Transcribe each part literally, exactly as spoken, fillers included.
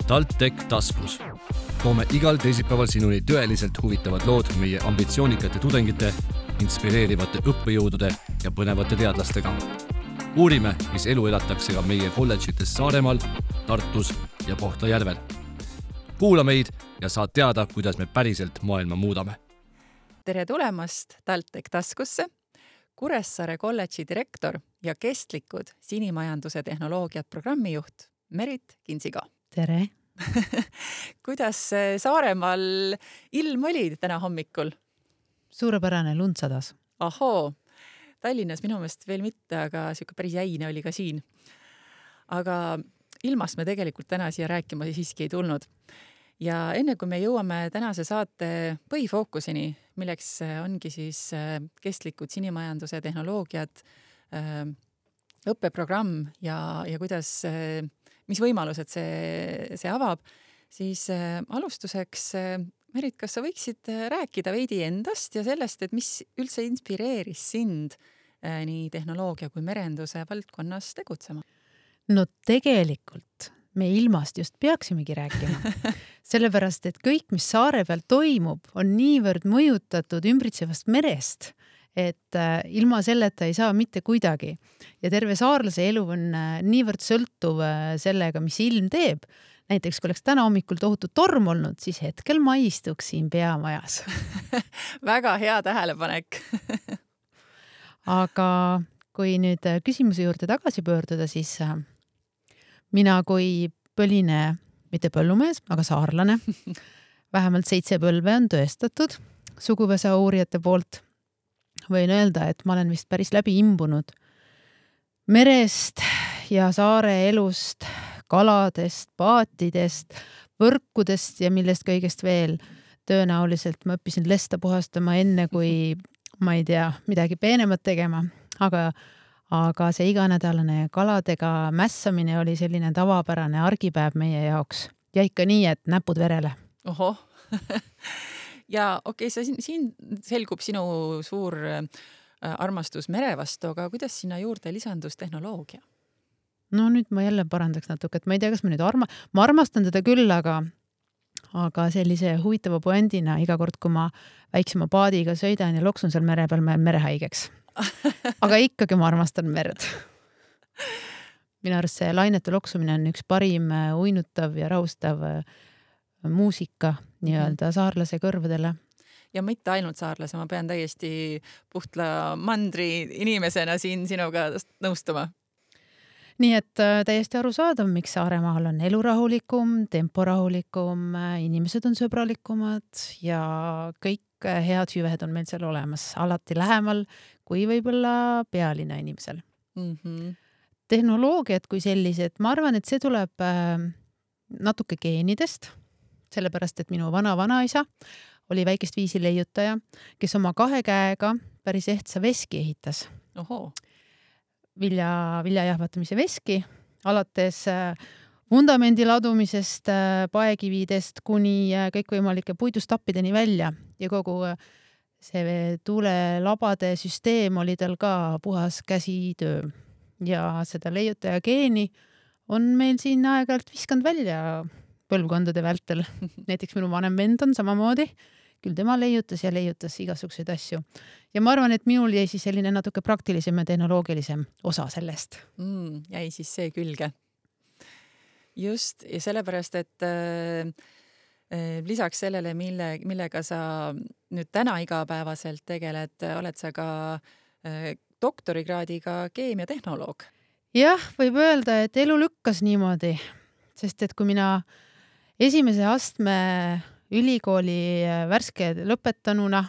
TalTech taskus. Toome igal teisipäeval sinuni tõeliselt huvitavad lood meie ambitsioonikate tudengite, inspireerivate õppejõudude ja põnevate teadlastega. Uurime, mis elu elatakse ka meie kolledžites Saaremaal, Tartus ja Kohtla-Järvel. Kuula meid ja saad teada, kuidas me päriselt maailma muudame. Tere tulemast TalTech taskusse! Kuressaare kolledži direktor ja kestlikud sinimajanduse tehnoloogiat programmijuht Merit Kinsiga. Tere! Kuidas Saaremaal ilm oli täna hommikul? Suurepärane, lund sadas. Ahoo! Tallinnas minu meelest veel mitte, aga siuke päris jäine oli ka siin. Aga ilmast me tegelikult täna siia rääkima siiski ei tulnud. Ja enne kui me jõuame tänase saate põhifookuseni, milleks ongi siis kestlikud sinimajanduse tehnoloogiad, õppeprogramm ja, ja kuidas, mis võimalused see, see avab, siis alustuseks, Merit, kas sa võiksid rääkida veidi endast ja sellest, et mis üldse inspireeris sind nii tehnoloogia kui merenduse valdkonnas tegutsema? No tegelikult me ilmast just peaksimegi rääkima. Sellepärast, et kõik, mis saare peal toimub, on niivõrd mõjutatud ümbritsevast merest, et ilma selleta ei saa mitte kuidagi. Ja terve saarlase elu on niivõrd sõltuv sellega, mis ilm teeb. Näiteks, kui oleks täna hommikul tohutu torm olnud, siis hetkel ma istuks siin peamajas. Väga hea tähelepanek. Aga kui nüüd küsimuse juurde tagasi pöörduda, siis mina kui põline, mitte põllumees, aga saarlane, vähemalt seitse põlve on tõestatud suguvõsa uurijate poolt. Võin öelda, et ma olen vist päris läbi imbunud merest ja saare elust, kaladest, paatidest, võrkudest ja millest kõigest veel. Tõenäoliselt ma õppisin lesta puhastama enne, kui ma ei tea, midagi peenemat tegema, aga aga see iganädalane kaladega mässamine oli selline tavapärane argipäev meie jaoks. Ja ikka nii, et näpud verele. Oho. Ja okei, okay, siin, siin selgub sinu suur armastus mere vastu, aga kuidas sinna juurde lisandus tehnoloogia? No nüüd ma jälle parandaks natuke, et ma ei tea, kas ma nüüd arma... ma armastan teda küll, aga aga sellise huvitava puendina iga kord, kui ma väiksema paadiga sõidan ja loksun seal mere peal, ma jään merehaigeks. Aga ikkagi ma armastan merd. Minu arust see lainete loksumine on üks parim uinutav ja rahustav muusika nii-öelda saarlase kõrvadele. Ja mitte ainult saarlase, ma pean täiesti Puhtla mandri inimesena siin sinuga nõustuma. Nii et täiesti arusaadav, miks Saaremaal on elu rahulikum, tempo rahulikum, inimesed on sõbralikumad ja kõik head hüved on meil seal olemas, alati lähemal kui võib-olla pealinna inimesel. Mm-hmm. Tehnoloogiad kui sellised, ma arvan, et see tuleb natuke geenidest, sellepärast, et minu vana-vanaisa oli väikest viisi leiutaja, kes oma kahe käega päris ehtsa veski ehitas. Oho. Vilja, viljajahvatamise veski, alates vundamendi ladumisest, paekividest kuni kõikvõimalike puidustappideni välja ja kogu see tuulelabade süsteem oli tal ka puhas käsitöö. Ja seda leiutaja geeni on meil siin aeg-ajalt viskanud välja põlvkondade vältel. Näiteks minu vanem vend on samamoodi, küll tema leiutas ja leiutas igasuguseid asju. Ja ma arvan, et minul jäi siis selline natuke praktilisem ja tehnoloogilisem osa sellest. Mm, jäi siis see külge. Just, ja sellepärast, et äh, lisaks sellele, mille, millega sa nüüd täna igapäevaselt tegeled, oled sa ka äh, doktorikraadiga keemiatehnoloog. Jah, võib öelda, et elu lükkas niimoodi, sest et kui mina esimese astme ülikooli värske lõpetanuna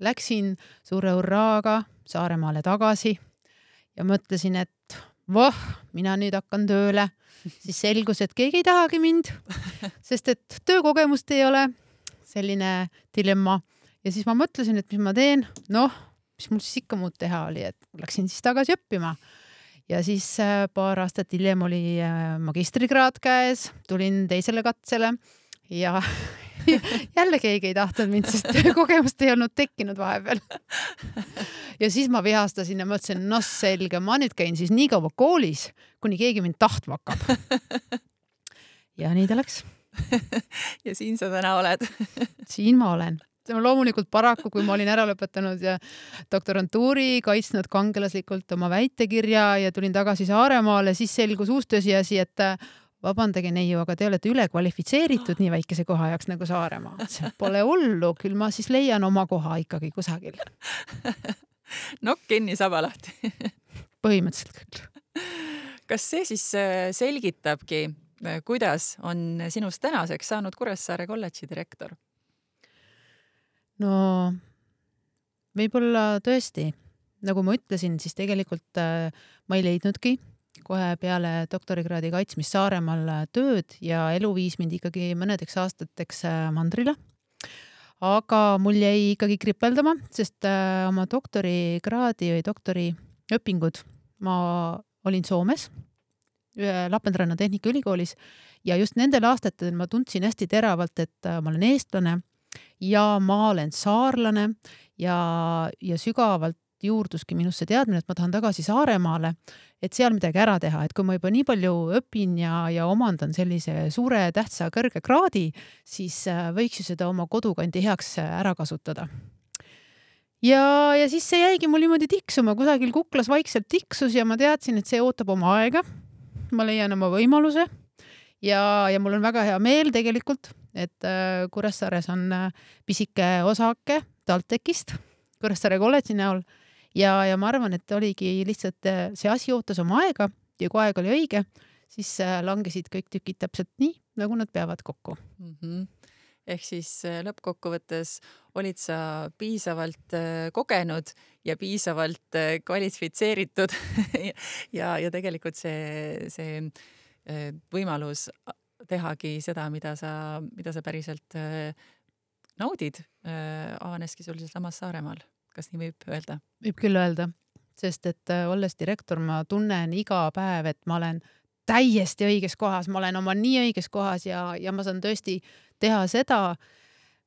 läksin suure urraaga Saaremaale tagasi ja mõtlesin, et voh, mina nüüd hakkan tööle, siis selgus, et keegi ei tahagi mind, sest et töökogemust ei ole, selline dilemma. Ja siis ma mõtlesin, et mis ma teen, noh, mis mul siis ikka muud teha oli, et läksin siis tagasi õppima. Ja siis paar aastat hiljem oli magistrikraad käes, tulin teisele katsele ja jälle keegi ei tahtnud mind, sest kogemust ei olnud tekkinud vahepeal. Ja siis ma vihastasin ja mõtlesin, no selge, ma nüüd käin siis nii kaua koolis, kuni keegi mind tahtma hakkab. ja nii ta läks. ja siin sa täna oled. siin ma olen. Loomulikult paraku, kui ma olin ära lõpetanud ja doktorantuuri, kaitsnud kangelaslikult oma väitekirja ja tulin tagasi Saaremaale, siis selgus uus tõsiasi, et vabandage neiu, aga te olete üle kvalifitseeritud nii väikese koha jaoks nagu Saaremaa. See pole hullu, küll ma siis leian oma koha ikkagi kusagil. Nokk kinni, saba lahti. Põhimõtteliselt küll. Kas see siis selgitabki, kuidas on sinust tänaseks saanud Kuressaare kolledži direktor? No, võib-olla tõesti. Nagu ma ütlesin, siis tegelikult ma ei leidnudki kohe peale doktorikraadi kaitsmist Saaremaal tööd ja elu viis mind ikkagi mõnedeks aastateks mandrile. Aga mul jäi ikkagi kripeldama, sest oma doktorikraadi või doktori õpingud ma olin Soomes, Lappeenranna Tehnikaülikoolis ja just nendel aastatel ma tundsin hästi teravalt, et ma olen eestlane ja ma olen saarlane ja, ja sügavalt juurduski minusse teadmine, et ma tahan tagasi Saaremaale, et seal midagi ära teha, et kui ma juba nii palju õpin ja, ja omandan sellise suure tähtsa kõrge kraadi, siis võiks ju seda oma kodukandi heaks ära kasutada. Ja, ja siis see jäigi mul niimoodi tiksuma, kusagil kuklas vaikselt tiksus ja ma teadsin, et see ootab oma aega. Ma leian oma võimaluse ja, ja mul on väga hea meel tegelikult, et Kuressaares on pisike osake TalTechist, Kuressaare kolledži näol ja, ja ma arvan, et oligi lihtsalt see asi ootas oma aega ja kui aeg oli õige, siis langesid kõik tükid täpselt nii, nagu nad peavad kokku. Mm-hmm. Ehk siis lõppkokkuvõttes olid sa piisavalt kogenud ja piisavalt kvalifitseeritud ja, ja tegelikult see, see võimalus tehagi seda, mida sa, mida sa päriselt naudid, avaneski sul samas Saaremaal. Kas nii võib öelda? Võib küll öelda, sest et olles direktor, ma tunnen iga päev, et ma olen täiesti õiges kohas, ma olen oma nii õiges kohas ja, ja ma saan tõesti teha seda,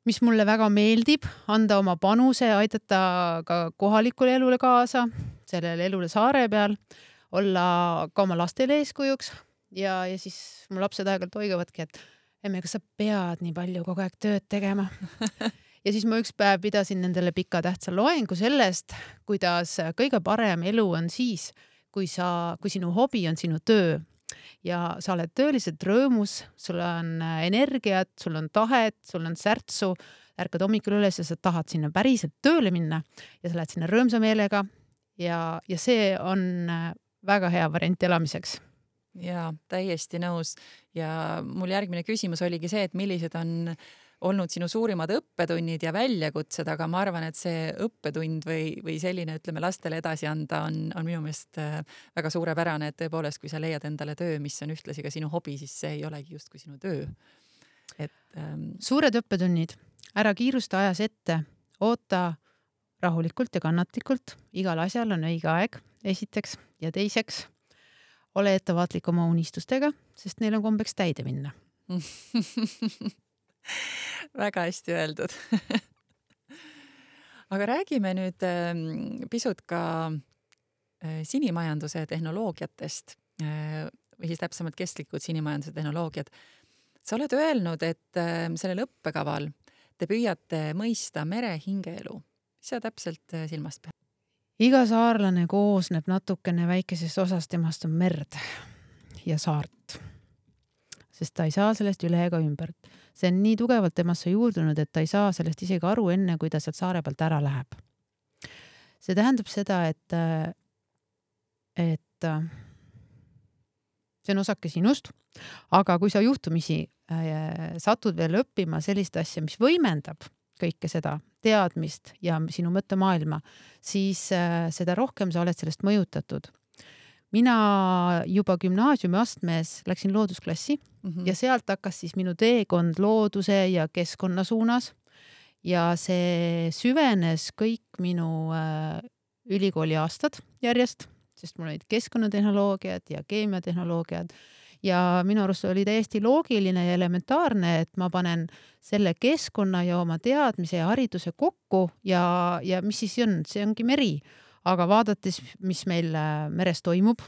mis mulle väga meeldib, anda oma panuse, aidata ka kohalikule elule kaasa, sellele elule saare peal, olla ka oma lastele eeskujuks ja, ja siis mu lapsed aegalt oigavadki, et emme, kas sa pead nii palju kogu aeg tööd tegema? Ja siis ma üks päev pidasin nendele pika tähtsa loengu sellest, kuidas kõige parem elu on siis, kui, sa, kui sinu hobi on sinu töö ja sa oled tööliselt rõõmus, sul on energiat, sul on tahet, sul on särtsu, ärkad hommikul üles ja sa tahad sinna päriselt tööle minna ja sa lähed sinna rõõmsa meelega ja, ja see on väga hea variant elamiseks. Jaa, täiesti nõus ja mul järgmine küsimus oligi see, et millised on olnud sinu suurimad õppetunnid ja väljakutsed, aga ma arvan, et see õppetund või, või selline, ütleme, lastele edasi anda on, on minu meelest väga suurepärane, et tõepoolest, kui sa leiad endale töö, mis on ühtlasi ka sinu hobi, siis see ei olegi just kui sinu töö. Et, ähm... Suured õppetunnid, ära kiirusta ajas ette, oota rahulikult ja kannatlikult, igal asjal on õige aeg, esiteks ja teiseks, ole ettevaatlik oma unistustega, sest neil on kombeks täide minna. Väga hästi öeldud. Aga räägime nüüd pisut ka sinimajanduse tehnoloogiatest või siis täpsemalt kestlikud sinimajanduse tehnoloogiad. Sa oled öelnud, et sellel õppekaval te püüate mõista mere hingeelu. Mis sa täpselt silmast pead? Iga saarlane koosneb natukene väikesest osast, temast on merd ja saart. Sest ta ei saa sellest üle ega ümbert. See on nii tugevalt temasse juurdunud, et ta ei saa sellest isegi aru enne, kui ta sealt saare pealt ära läheb. See tähendab seda, et, et see on osake sinust, aga kui sa juhtumisi satud veel õppima sellist asja, mis võimendab kõike seda teadmist ja sinu mõttemaailma, siis seda rohkem sa oled sellest mõjutatud. Mina juba gümnaasiumi astmes läksin loodusklassi mm-hmm. ja sealt hakkas siis minu teekond looduse ja keskkonna suunas ja see süvenes kõik minu äh, ülikooli aastad järjest, sest mul olid keskkonnatehnoloogiad ja keemiatehnoloogiad ja minu arust oli täiesti loogiline ja elementaarne, et ma panen selle keskkonna ja oma teadmise ja hariduse kokku ja, ja mis siis on, see ongi meri. Aga vaadates, mis meil meres toimub,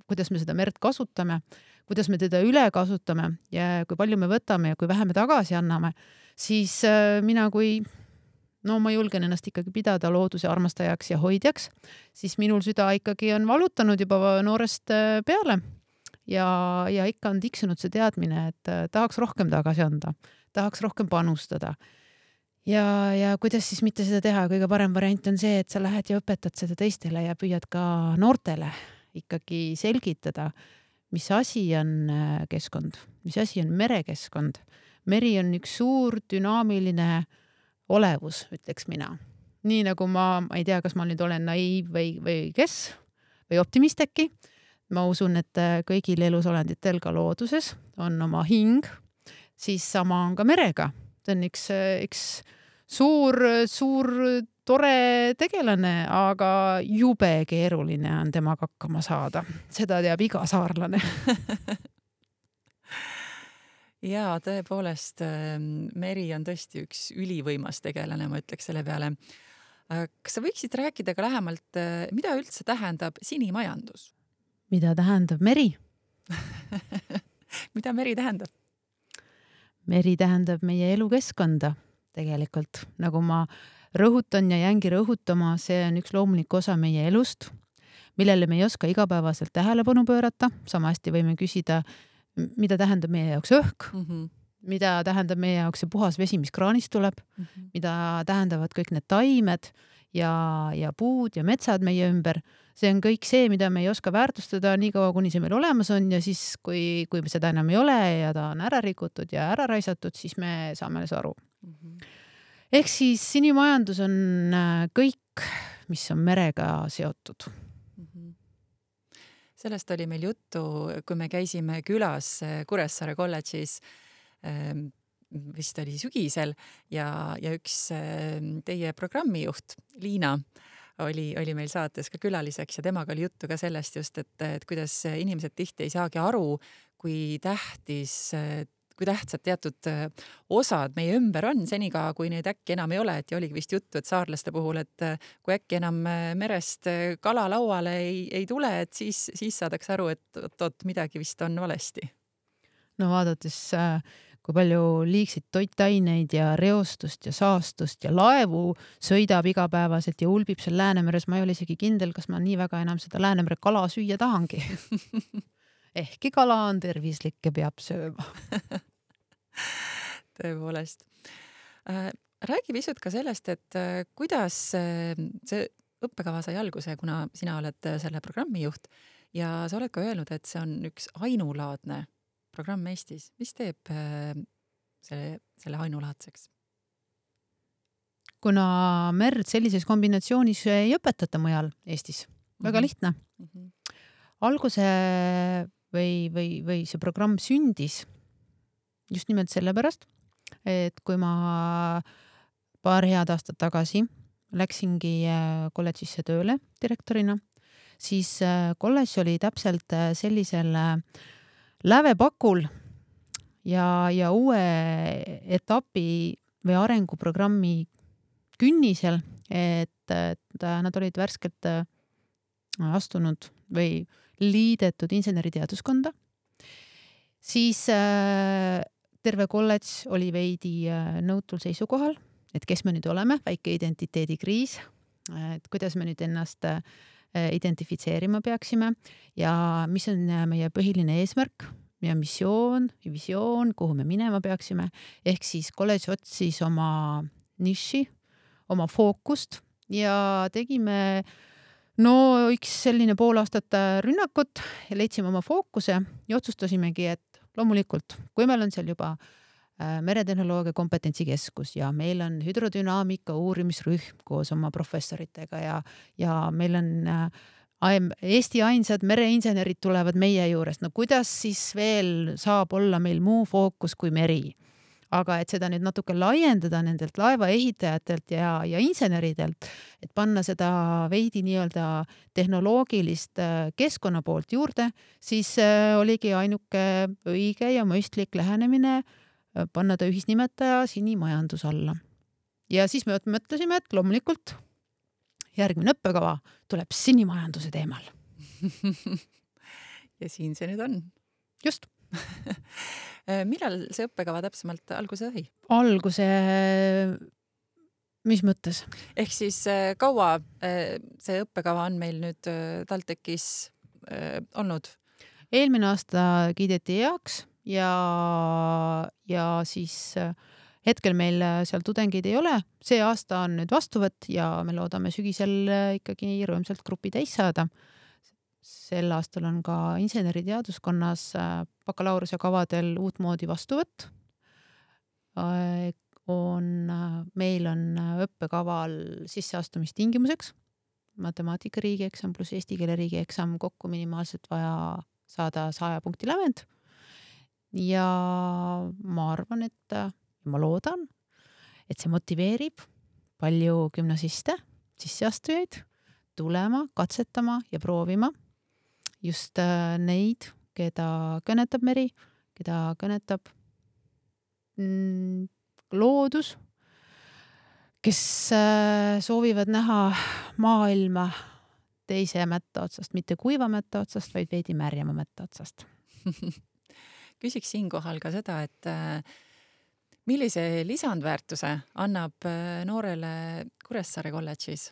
kuidas me seda merd kasutame, kuidas me teda üle kasutame ja kui palju me võtame ja kui vähe me tagasi anname, siis mina kui, no ma julgen ennast ikkagi pidada looduse armastajaks ja hoidjaks, siis minul süda ikkagi on valutanud juba noorest peale ja, ja ikka on tiksunud see teadmine, et tahaks rohkem tagasi anda, tahaks rohkem panustada. Ja, ja kuidas siis mitte seda teha, kõige parem variant on see, et sa lähed ja õpetad seda teistele ja püüad ka noortele ikkagi selgitada, mis asi on keskkond, mis asi on merekeskkond. Meri on üks suur dünaamiline olevus, ütleks mina. Nii nagu ma, ma ei tea, kas ma nüüd olen naiiv või, või kes, või optimist äkki. Ma usun, et kõigil elusolenditel ka looduses on oma hing, siis sama on ka merega. See on üks, üks suur, suur tore tegelane, aga jube keeruline on temaga hakkama saada. Seda teab iga saarlane. Jaa, tõepoolest, meri on tõesti üks ülivõimas tegelane, ma ütleks selle peale. Kas sa võiksid rääkida ka lähemalt, mida üldse tähendab sinimajandus? Mida tähendab meri? Mida meri tähendab? Meri tähendab meie elukeskkonda tegelikult. Nagu ma rõhutan ja jäängi rõhutama, see on üks loomulik osa meie elust, millele me ei oska igapäevaselt tähelepanu pöörata. Sama hästi võime küsida, mida tähendab meie jaoks õhk, mm-hmm. mida tähendab meie jaoks see puhas vesi, mis kraanist tuleb, mm-hmm. mida tähendavad kõik need taimed ja, ja puud ja metsad meie ümber. See on kõik see, mida me ei oska väärtustada nii kaua, kuni see meil olemas on ja siis, kui, kui seda enam ei ole ja ta on ära rikutud ja ära raisatud, siis me saame alles aru. Mm-hmm. Ehk siis sinimajandus on kõik, mis on merega seotud. Mm-hmm. Sellest oli meil juttu, kui me käisime külas Kuressaare kolledžis, vist oli sügisel ja, ja üks teie programmijuht, Liina, Oli, oli meil saates ka külaliseks ja temaga oli juttu ka sellest just, et, et kuidas inimesed tihti ei saagi aru, kui tähtis, kui tähtsad teatud osad meie ümber on, seniga kui neid äkki enam ei ole, et ja oligi vist juttu, et saarlaste puhul, et kui äkki enam merest kala lauale ei, ei tule, et siis, siis saadaks aru, et oot, oot, midagi vist on valesti. No vaadates kui palju liigseid toitaineid ja reostust ja saastust ja laevu sõidab igapäevaselt ja ulbib seal Läänemeres. Ma ei ole isegi kindel, kas ma nii väga enam seda Läänemere kala süüa tahangi. Ehkki kala on tervislik ja peab sööma. Tõepoolest. Räägi pisut ka sellest, et kuidas see õppekava sai alguse, kuna sina oled selle programmi juht ja sa oled ka öelnud, et see on üks ainulaadne programm Eestis. Mis teeb selle, selle ainulaadseks? Kuna merd sellises kombinatsioonis ei õpetata mujal Eestis. Väga lihtne. Mm-hmm. Alguse või, või, või see programm sündis just nimelt sellepärast, et kui ma paar head aastat tagasi läksingi kolledžisse tööle direktorina, siis kolledž oli täpselt sellisel lävepakul ja, ja uue etapi või arenguprogrammi künnisel, et, et nad olid värskelt astunud või liidetud inseneriteaduskonda. Siis äh, terve kolledž oli veidi äh, nõutul seisukohal, et kes me nüüd oleme, väike identiteedikriis, et kuidas me nüüd ennast äh, identifitseerima peaksime ja mis on meie põhiline eesmärk, meie missioon, visioon, kuhu me minema peaksime. Ehk siis kolledž otsis oma niši, oma fookust ja tegime no üks selline pool aastat rünnakut ja leidsime oma fookuse ja otsustasimegi, et loomulikult, kui meil on seal juba meretehnoloogia kompetentsikeskus ja meil on hüdrodünaamika uurimisrühm koos oma professoritega ja, ja meil on Eesti ainsad mereinsenerid tulevad meie juurest. No kuidas siis veel saab olla meil muu fookus kui meri? Aga et seda nüüd natuke laiendada nendelt laevaehitajatelt ja, ja inseneridelt, et panna seda veidi nii-öelda tehnoloogilist keskkonna poolt juurde, siis oligi ainuke õige ja mõistlik lähenemine panna ta ühisnimetaja sinimajandus alla. Ja siis me mõtlesime, et loomulikult järgmine õppekava tuleb sinimajanduse teemal. ja siin see nüüd on. Just. Millal see õppekava täpsemalt alguse sai? Alguse, mis mõttes? Ehk siis kaua see õppekava on meil nüüd TalTechis olnud? Eelmine aasta kiideti heaks ja, ja siis hetkel meil seal tudengeid ei ole. See aasta on nüüd vastuvõtt ja me loodame sügisel ikkagi rõõmsalt grupi täis saada. Sel aastal on ka inseneriteaduskonnas bakalaureuse kavadel uut moodi vastuvõtt. On, meil on õppekaval sisseastumistingimuseks matemaatika riigieksam pluss eesti keele riigieksam kokku minimaalselt vaja saada saja punkti lävend. Ja ma arvan, et ma loodan, et see motiveerib palju gümnasiste, sisseastujaid tulema, katsetama ja proovima just neid, keda kõnetab meri, keda kõnetab loodus, kes soovivad näha maailma teise mätta otsast, mitte kuiva mätta otsast, vaid veidi märjama mätta otsast. Küsiks siinkohal ka seda, et millise lisandväärtuse annab noorele Kuressaare kolledžis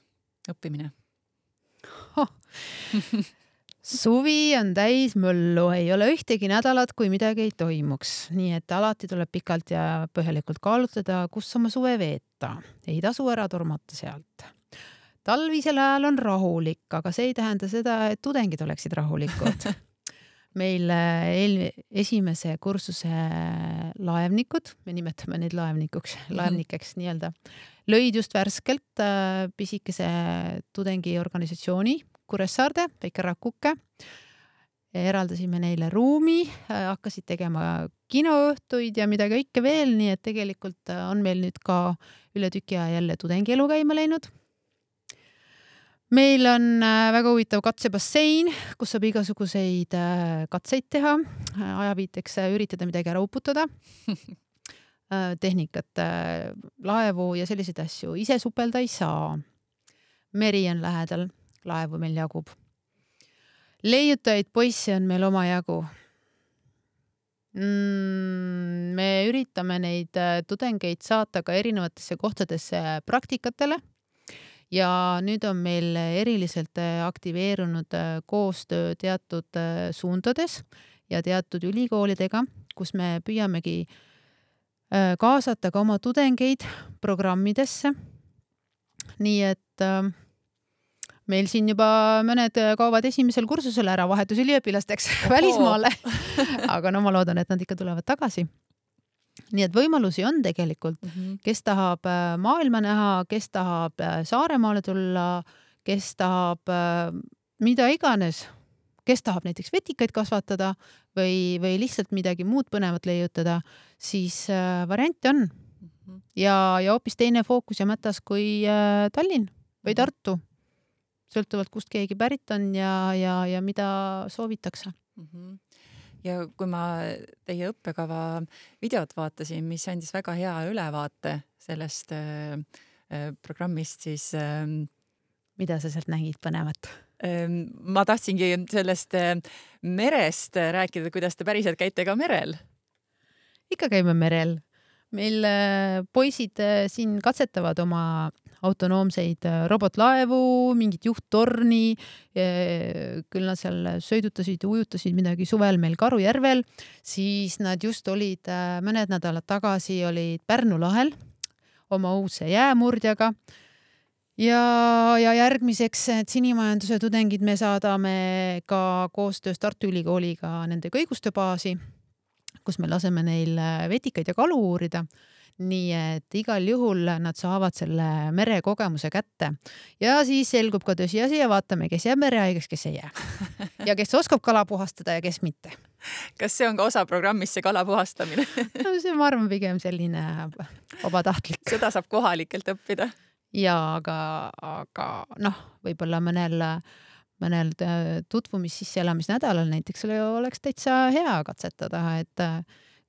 õppimine? Oh. Suvi on täis möllu, ei ole ühtegi nädalat, kui midagi ei toimuks. Nii et alati tuleb pikalt ja põhjalikult kaalutada, kus oma suve veeta. Ei tasu ära tormata sealt. Talvisel ajal on rahulik, aga see ei tähenda seda, et tudengid oleksid rahulikud. Meil eel, esimese kursuse laevnikud, me nimetame neid laevnikuks, laevnikeks nii-öelda, lõid just värskelt pisikese tudengiorganisatsiooni Kuressaarde, väike rakuke. Eraldasime neile ruumi, hakkasid tegema kinoõhtuid ja mida kõike veel, nii et tegelikult on meil nüüd ka üle tüki aja jälle tudengielu käima läinud. Meil on väga huvitav katsebassein, kus saab igasuguseid katseid teha, ajaviiteks üritada midagi ära uputada, tehnikat, laevu ja selliseid asju. Ise supelda ei saa. Meri on lähedal, laevu meil jagub. Leiutajaid poisse on meil oma jagu. Me üritame neid tudengeid saata ka erinevatesse kohtadesse praktikatele. Ja nüüd on meil eriliselt aktiveerunud koostöö teatud suundades ja teatud ülikoolidega, kus me püüamegi kaasata ka oma tudengeid programmidesse. Nii et meil siin juba mõned kaovad esimesel kursusel ära vahetusüliõpilasteks välismaale, aga no ma loodan, et nad ikka tulevad tagasi. Nii et võimalusi on tegelikult, kes tahab maailma näha, kes tahab Saaremaale tulla, kes tahab mida iganes, kes tahab näiteks vetikaid kasvatada või, või lihtsalt midagi muud põnevat leiutada, siis variante on. Ja, ja hoopis teine fookus ja mätas kui Tallinn või Tartu. Sõltuvalt kust keegi pärit on ja, ja, ja mida soovitakse. Ja kui ma teie õppekava videot vaatasin, mis andis väga hea ülevaate sellest äh, programmist, siis äh, mida sa sealt nägid põnevat? Äh, ma tahtsingi sellest äh, merest rääkida, kuidas te päriselt käite ka merel. Ikka käime merel. Meil äh, poisid äh, siin katsetavad oma autonoomseid robotlaevu, mingit juhttorni, küll nad seal sõidutasid ja ujutasid midagi suvel meil Karujärvel, siis nad just olid mõned nädalad tagasi olid Pärnu lahel oma uuse jäämurdjaga ja, ja järgmiseks sinimajanduse tudengid me saadame ka koostöös Tartu Ülikooliga nende kõigustebaasi, kus me laseme neil vetikaid ja kalu uurida. Nii et igal juhul nad saavad selle merekogemuse kätte ja siis selgub ka tõsiasi ja vaatame, kes jääb merehaigeks, kes ei jää ja kes oskab kala puhastada ja kes mitte. Kas see on ka osa programmist, see kala puhastamine? No see ma arvan pigem selline vabatahtlik. Seda saab kohalikelt õppida. Ja, aga, aga noh, võib-olla mõnel, mõnel tutvumis sisseelamisnädalal näiteks oleks täitsa hea katsetada, et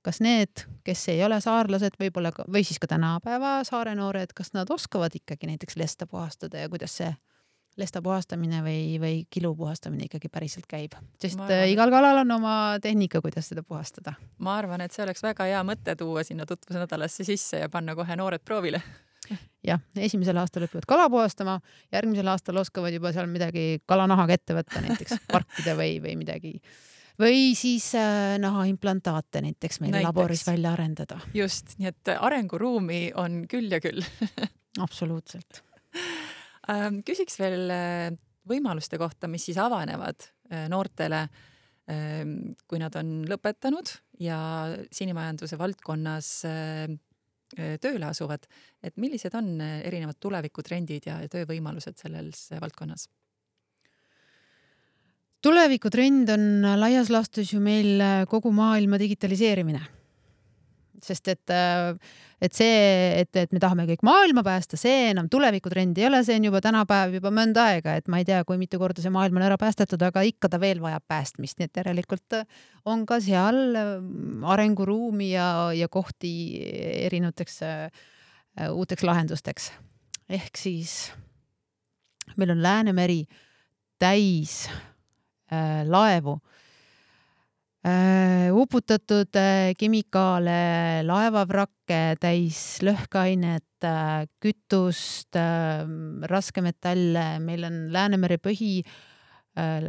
kas need, kes ei ole saarlased võib-olla, või siis ka tänapäeva saare noored, kas nad oskavad ikkagi näiteks lesta puhastada ja kuidas see lesta puhastamine või, või kilu puhastamine ikkagi päriselt käib. Sest Ma arvan, igal kalal on oma tehnika, kuidas seda puhastada. ma arvan, et see oleks väga hea mõte tuua sinna tutvusnädalasse sisse ja panna kohe noored proovile. Jah, esimesel aastal õpivad kala puhastama, järgmisel aastal oskavad juba seal midagi kalanahaga ette võtta, näiteks parkida või, või midagi. Või siis äh, nahaimplantaate näiteks meil näiteks. Laboris välja arendada. Just, nii et arenguruumi on küll ja küll. Absoluutselt. Küsiks veel võimaluste kohta, mis siis avanevad noortele, kui nad on lõpetanud ja sinimajanduse valdkonnas tööle asuvad, et millised on erinevad tulevikutrendid ja töövõimalused selles valdkonnas? Tulevikutrend on laias laastus ju meil kogu maailma digitaliseerimine. Sest et, et see, et, et me tahame kõik maailma päästa, see enam tulevikutrend ei ole, see on juba tänapäev juba mõnda aega, et ma ei tea, kui mitu korda see maailm on ära päästetud, aga ikka ta veel vajab päästmist, nii et järelikult on ka seal arenguruumi ja, ja kohti erinevateks uuteks lahendusteks. Ehk siis meil on Läänemeri täis äh, laevu, Uh, uputatud uh, kemikaale, laevavrakke, täis lõhkeainet, uh, kütust, uh, raskemetalle, meil on Läänemere põhi, uh,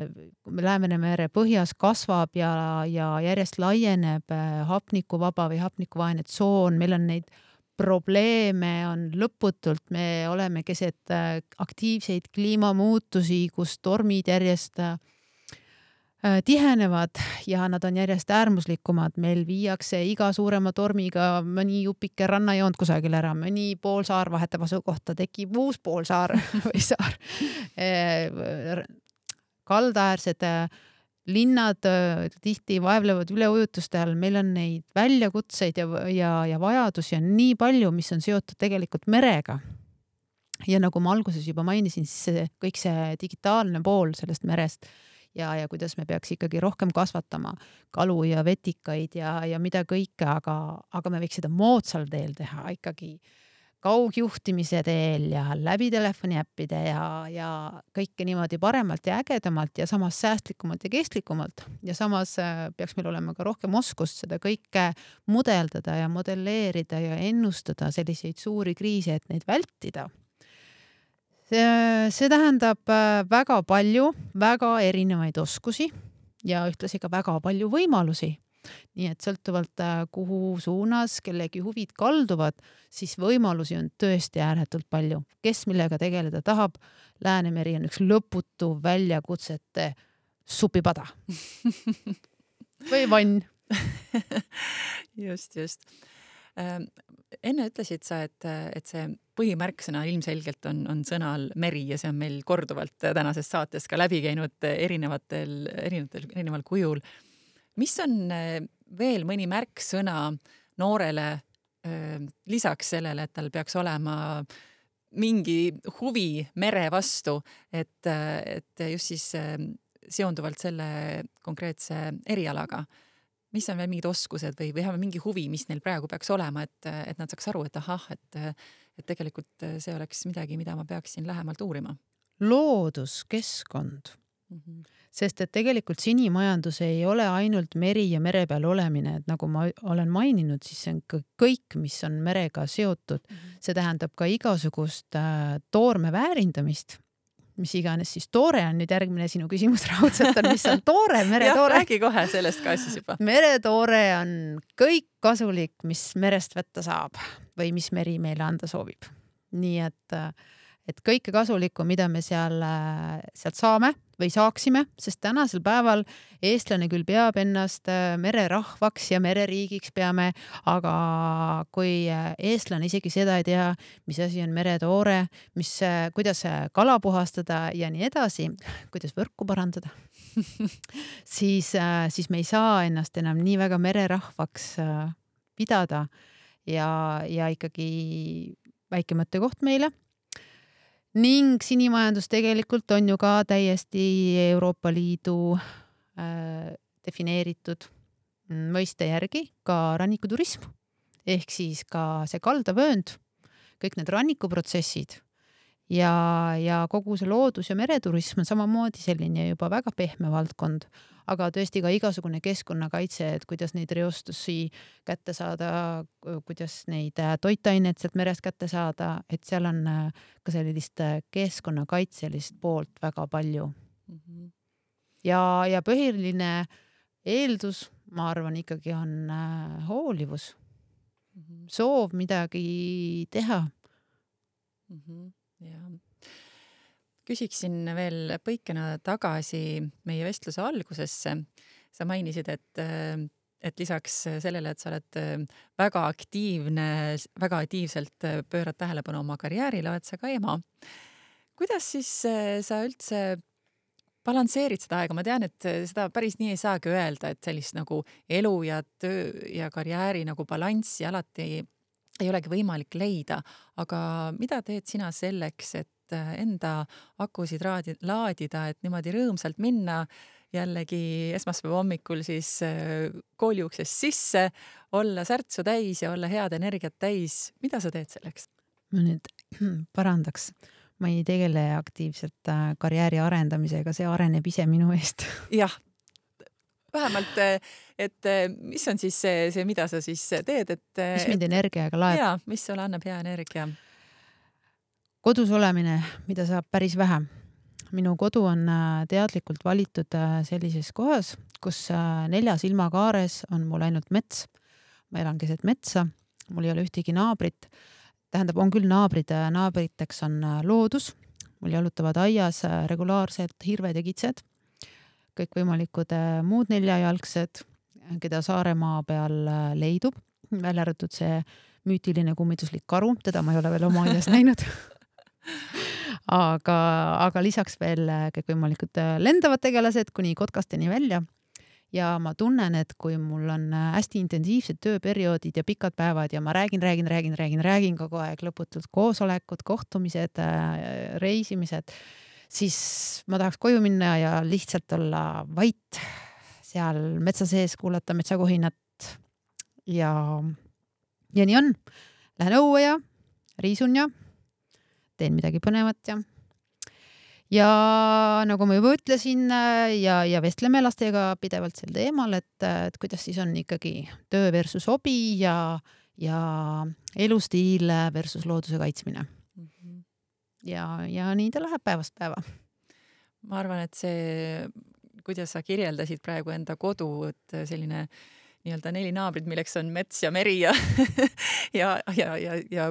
Läänemere põhjas kasvab ja, ja järjest laieneb uh, hapnikuvaba või hapnikuvaene tsoon, meil on neid probleeme on lõputult, me oleme keset uh, aktiivseid kliimamuutusi, kus tormid järjest uh, tihenevad ja nad on järjest äärmuslikumad. Meil viiakse iga suurema tormiga mõni jupike rannajoont kusagil ära, mõni poolsaar vahetab asukohta, tekib uus poolsaar või saar. Kaldaäärsed linnad tihti vaevlevad üleujutuste all, meil on neid väljakutseid ja, ja, ja vajadusi on nii palju, mis on seotud tegelikult merega. Ja nagu ma alguses juba mainisin, siis see, kõik see digitaalne pool sellest merest ja, ja kuidas me peaks ikkagi rohkem kasvatama kalu ja vetikaid ja, ja mida kõike, aga, aga me võiks seda moodsal teel teha ikkagi kaugjuhtimise teel ja läbi telefoniäppide ja, ja kõike niimoodi paremalt ja ägedamalt ja samas säästlikumalt ja kestlikumalt. Ja samas peaks meil olema ka rohkem oskust seda kõike mudeldada ja modelleerida ja ennustada selliseid suuri kriise, et neid vältida. See, see tähendab väga palju, väga erinevaid oskusi ja ühtlasi ka väga palju võimalusi. Nii et sõltuvalt kuhu suunas kellegi huvid kalduvad, siis võimalusi on tõesti ääretult palju. Kes millega tegeleda tahab, Läänemeri on üks lõputu väljakutsete supipada. Või vann. Just, just. Enne ütlesid sa, et, et see põhimärksõna ilmselgelt on, on sõnal meri ja see on meil korduvalt tänases saates ka läbi käinud erinevatel, erinevatel, erineval kujul. Mis on veel mõni märksõna noorele lisaks sellele, et tal peaks olema mingi huvi mere vastu, et, et just siis seonduvalt selle konkreetse erialaga? Mis on veel mingid oskused või, või mingi huvi, mis neil praegu peaks olema, et, et nad saaks aru, et ahah, et, et tegelikult see oleks midagi, mida ma peaksin lähemalt uurima? Looduskeskkond. Mm-hmm. Sest et tegelikult sinimajandus ei ole ainult meri ja mere peal olemine, et nagu ma olen maininud, siis see on kõik, mis on merega seotud. Mm-hmm. See tähendab ka igasugust äh, toorme väärindamist, mis iganes siis toore on nüüd järgmine sinu küsimus raudselt on, mis on toore, meretoore. Jah, räägi kohe sellest ka siis juba. Meretoore on kõik kasulik, mis merest võtta saab või mis meri meile anda soovib. Nii et, et kõike kasulikku, mida me seal, sealt saame või saaksime, sest tänasel päeval eestlane küll peab ennast mererahvaks ja mereriigiks peame, aga kui eestlane isegi seda ei tea, mis asi on meretoore, mis, kuidas kala puhastada ja nii edasi, kuidas võrku parandada, siis, siis me ei saa ennast enam nii väga mererahvaks pidada ja, ja ikkagi väike mõttekoht meile. Ning sinimajandus tegelikult on ju ka täiesti Euroopa Liidu äh, defineeritud mõiste järgi ka rannikuturism. Ehk siis ka see kaldavöönd, kõik need rannikuprotsessid ja, ja kogu see loodus ja mereturism on samamoodi selline juba väga pehme valdkond, aga tõesti ka igasugune keskkonnakaitse, et kuidas neid reostusi kätte saada, kuidas neid toitaineid sealt merest kätte saada, et seal on ka sellist keskkonnakaitselist poolt väga palju. Mm-hmm. Ja, ja põhiline eeldus, ma arvan, ikkagi on hoolivus. Mm-hmm. Soov midagi teha. Mm-hmm. Ja. Küsiksin veel põikena tagasi meie vestluse algusesse. Sa mainisid, et, et lisaks sellele, et sa oled väga aktiivne, väga aktiivselt pöörad tähelepanu oma karjäärile, oled sa ka ema. Kuidas siis sa üldse balansseerid seda aega? Ma tean, et seda päris nii ei saagi öelda, et sellist nagu elu ja töö ja karjääri nagu balanssi alati ei, ei olegi võimalik leida, aga mida teed sina selleks, et enda akusid laadida, et niimoodi rõõmsalt minna jällegi esmaspäeva hommikul siis kooli uksest sisse, olla särtsu täis ja olla head energiat täis. Mida sa teed selleks? Ma nüüd parandaks. Ma ei tegele aktiivselt karjääri arendamisega, see areneb ise minu eest. Jah, vähemalt, et mis on siis see, see mida sa siis teed? Et, mis mind energiaga laeb? Jaa, mis sulle annab hea energia? Kodus olemine, mida saab päris vähe. Minu kodu on teadlikult valitud sellises kohas, kus neljas ilmakaares on mul ainult mets. Ma elan keset metsa, mul ei ole ühtegi naabrit. Tähendab, on küll naabrid, naabriteks on loodus. Mul jalutavad aias regulaarselt hirved ja kitsed. Kõik võimalikud muud neljajalgsed, keda Saaremaa peal leidub. Välja arvatud see müütiline kummituslik karu, teda ma ei ole veel oma aias näinud. Aga, aga lisaks veel kõik võimalikud lendavad tegelased kuni kotkasteni välja. Ja ma tunnen, et kui mul on hästi intensiivsed tööperioodid ja pikad päevad ja ma räägin, räägin, räägin, räägin, räägin kogu aeg lõputult koosolekud, kohtumised, reisimised, siis ma tahaks koju minna ja lihtsalt olla vait seal metsa sees, kuulata metsakohinat ja, ja nii on. Lähen õue ja riisun ja teen midagi põnevat ja Ja nagu ma juba ütlesin ja, ja vestleme lastega pidevalt sel teemal, et, et kuidas siis on ikkagi töö versus hobi ja, ja elustiil versus looduse kaitsmine. Mm-hmm. Ja, ja nii ta läheb päevast päeva. Ma arvan, et see, kuidas sa kirjeldasid praegu enda kodu, et selline nii-öelda neli naabrid, milleks on mets ja meri ja, ja, ja, ja, ja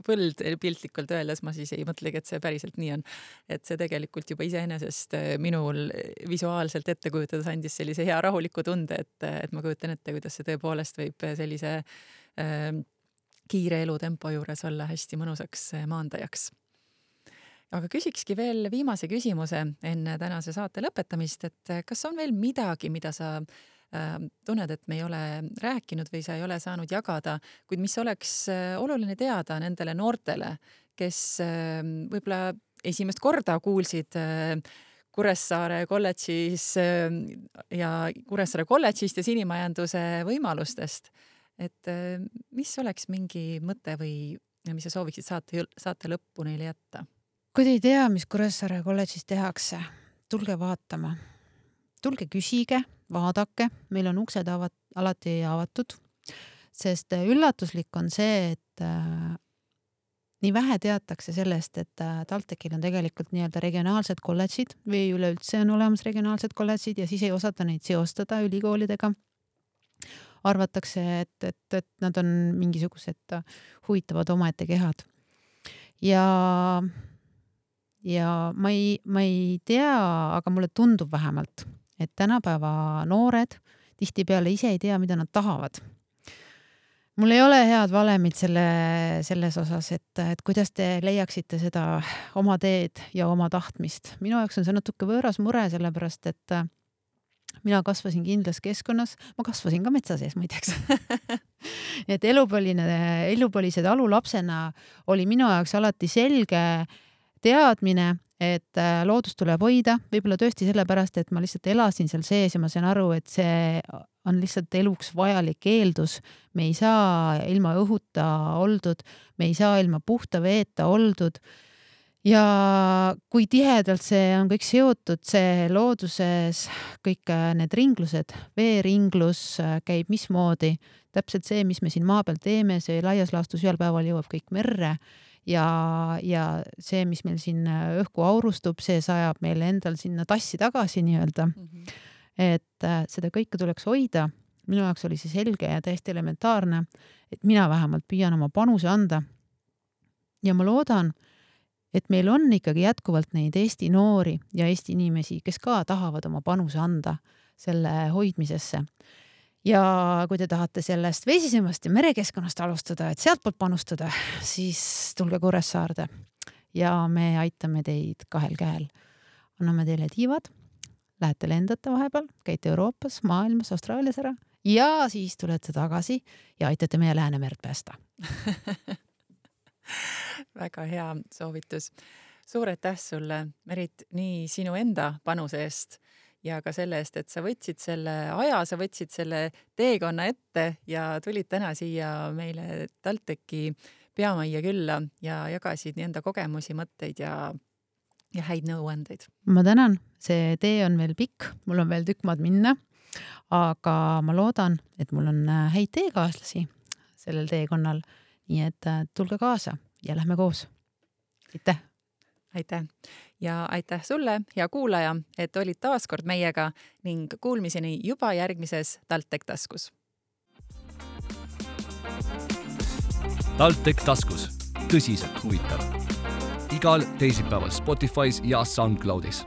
põld piltlikult öeldes, ma siis ei mõtlegi, et see päriselt nii on. Et see tegelikult juba iseenesest minul visuaalselt ette kujutades andis sellise hea rahuliku tunde, et, et ma kujutan ette, kuidas see tõepoolest võib sellise äh, kiire elutempo juures olla hästi mõnusaks maandajaks. Aga küsikski veel viimase küsimuse enne tänase saate lõpetamist, et kas on veel midagi, mida sa tunned, et me ei ole rääkinud või sa ei ole saanud jagada, kuid mis oleks oluline teada nendele noortele, kes võib-olla esimest korda kuulsid Kuressaare kolledžis ja Kuressaare kolledžist ja sinimajanduse võimalustest, et mis oleks mingi mõte või mis sa sooviksid saate, saate lõppu neile jätta? Kui te ei tea, mis Kuressaare kolledžis tehakse, tulge vaatama. Tulge küsige, vaadake, meil on uksed avat, alati avatud, sest üllatuslik on see, et äh, nii vähe teatakse sellest, et äh, TalTechil on tegelikult nii-öelda regionaalsed kolledžid või üleüldse on olemas regionaalsed kolledžid ja siis ei osata neid seostada ülikoolidega. Arvatakse, et, et, et nad on mingisugused huvitavad omaette kehad. Ja, ja ma ei, ma ei tea, aga mulle tundub vähemalt, et tänapäeva noored tihtipeale ise ei tea, mida nad tahavad. Mul ei ole head valemid selle, selles osas, et, et kuidas te leiaksite seda oma teed ja oma tahtmist. Minu jaoks on see natuke võõras mure, sellepärast, et mina kasvasin kindlas keskkonnas, ma kasvasin ka metsa sees, muideks. et elupõline, elupõlised alulapsena oli minu jaoks alati selge teadmine, et loodus tuleb hoida, võib-olla tõesti sellepärast, et ma lihtsalt elasin seal sees ja ma sain aru, et see on lihtsalt eluks vajalik eeldus. Me ei saa ilma õhuta oldud, me ei saa ilma puhta veeta oldud ja kui tihedalt see on kõik seotud, see looduses, kõik need ringlused, veeringlus käib mismoodi, täpselt see, mis me siin maa peal teeme, see laias laastus ühel päeval jõuab kõik merre ja, ja see, mis meil siin õhku aurustub, see sajab meil endal sinna tassi tagasi nii-öelda. Mm-hmm. Et seda kõike tuleks hoida. Minu jaoks oli see selge ja täiesti elementaarne, et mina vähemalt püüan oma panuse anda. Ja ma loodan, et meil on ikkagi jätkuvalt neid Eesti noori ja Eesti inimesi, kes ka tahavad oma panuse anda selle hoidmisesse. Ja kui te tahate sellest veesisemast ja merekeskkonnast alustada, et sealt poolt panustada, siis tulge Kuressaarde ja me aitame teid kahel käel. Anname teile tiivad, lähete lendate vahepeal, käite Euroopas, maailmas, Austraalias ära ja siis tulete tagasi ja aitate meie Läänemerd päästa. Väga hea soovitus. Suur aitäh sulle, Merit, nii sinu enda panuse eest ja ka selle eest, et sa võtsid selle aja, sa võtsid selle teekonna ette ja tulid täna siia meile TalTechi peamajja külla ja jagasid nii enda kogemusi, mõtteid ja, ja häid nõuandeid. Ma tänan, see tee on veel pikk, mul on veel tükk maad minna, aga ma loodan, et mul on häid teekaaslasi sellel teekonnal. Nii et tulge kaasa ja lähme koos. Aitäh! Aitäh! Ja aitäh sulle, hea kuulaja, et olid taaskord meiega ning kuulmiseni juba järgmises TalTech taskus. TalTech taskus. Tõsiselt huvitav. Igal teisipäeval Spotify's ja SoundCloudis.